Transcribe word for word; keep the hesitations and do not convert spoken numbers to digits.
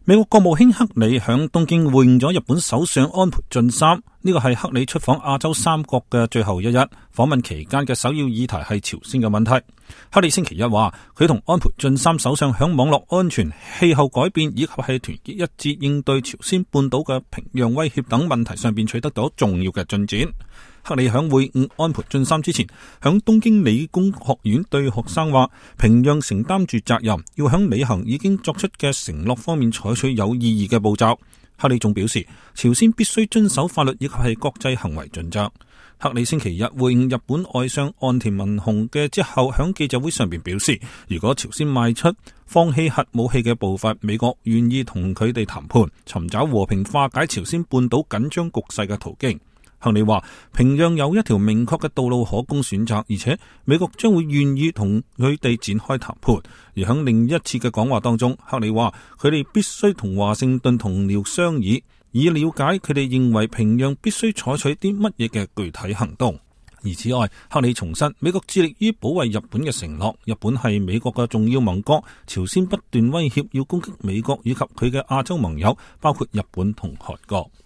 美國國務卿克里響東京會見咗日本首相安倍晉三，呢個係克里出訪亞洲三國嘅最後一日。訪問期間嘅首要議題係朝鮮嘅問題。克里星期一話，佢同安倍晉三首相響網絡安全、氣候改變以及係團結一致應對朝鮮半島嘅平壤威脅等問題上邊取得咗重要嘅進展。克里響會晤安倍晉三之前，響東京理工學院對學生話，平壤承擔住責任，要響履行已經作出嘅承諾方面採取有意義嘅步驟。克里仲表示，朝鮮必須遵守法律以及係國際行為準則。克里星期日會晤日本外相岸田文雄嘅之後，響記者會上邊表示，如果朝鮮邁出放棄核武器嘅步伐，美國願意同佢哋談判，尋找和平化解朝鮮半島緊張局勢嘅途徑。克里話，平壤有一條明確嘅道路可供選擇，而且美國將會願意同佢哋展開談判。而喺另一次嘅講話當中，克里話佢哋必須同華盛頓同僚商議，以了解佢哋認為平壤必須採取啲乜嘢嘅具體行動。而此外，克里重申美國致力於保衛日本嘅承諾，日本係美國嘅重要盟國，朝鮮不斷威脅要攻擊美國以及佢嘅亞洲盟友，包括日本同韓國。